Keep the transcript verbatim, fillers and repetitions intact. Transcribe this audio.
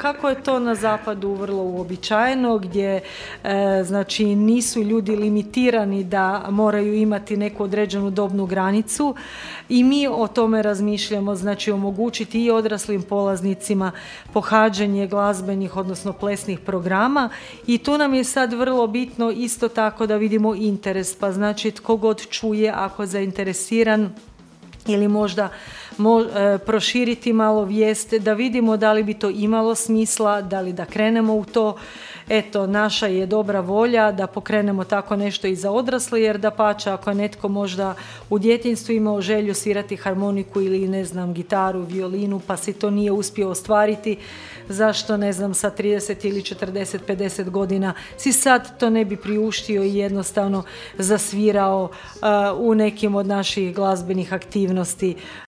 kako je to na zapadu vrlo uobičajeno, gdje e, znači nisu ljudi limitirani da moraju imati neku određenu dobnu granicu i mi o tome razmišljamo, znači omogućiti i odraslim polaznicima pohađanje glazbenih, odnosno plesnih programa i tu nam je sad vrlo bitno isto tako da vidimo interes, pa znači tko god čuje ako je zainteresiran ili možda mo, e, proširiti malo vijest, da vidimo da li bi to imalo smisla, da li da krenemo u to. Eto, naša je dobra volja da pokrenemo tako nešto i za odrasle, jer dapače, ako je netko možda u djetinjstvu imao želju svirati harmoniku ili ne znam, gitaru, violinu, pa si to nije uspio ostvariti, zašto ne znam sa trideset ili četrdeset, pedeset godina si sad to ne bi priuštio i jednostavno zasvirao uh, u nekim od naših glazbenih aktivnosti.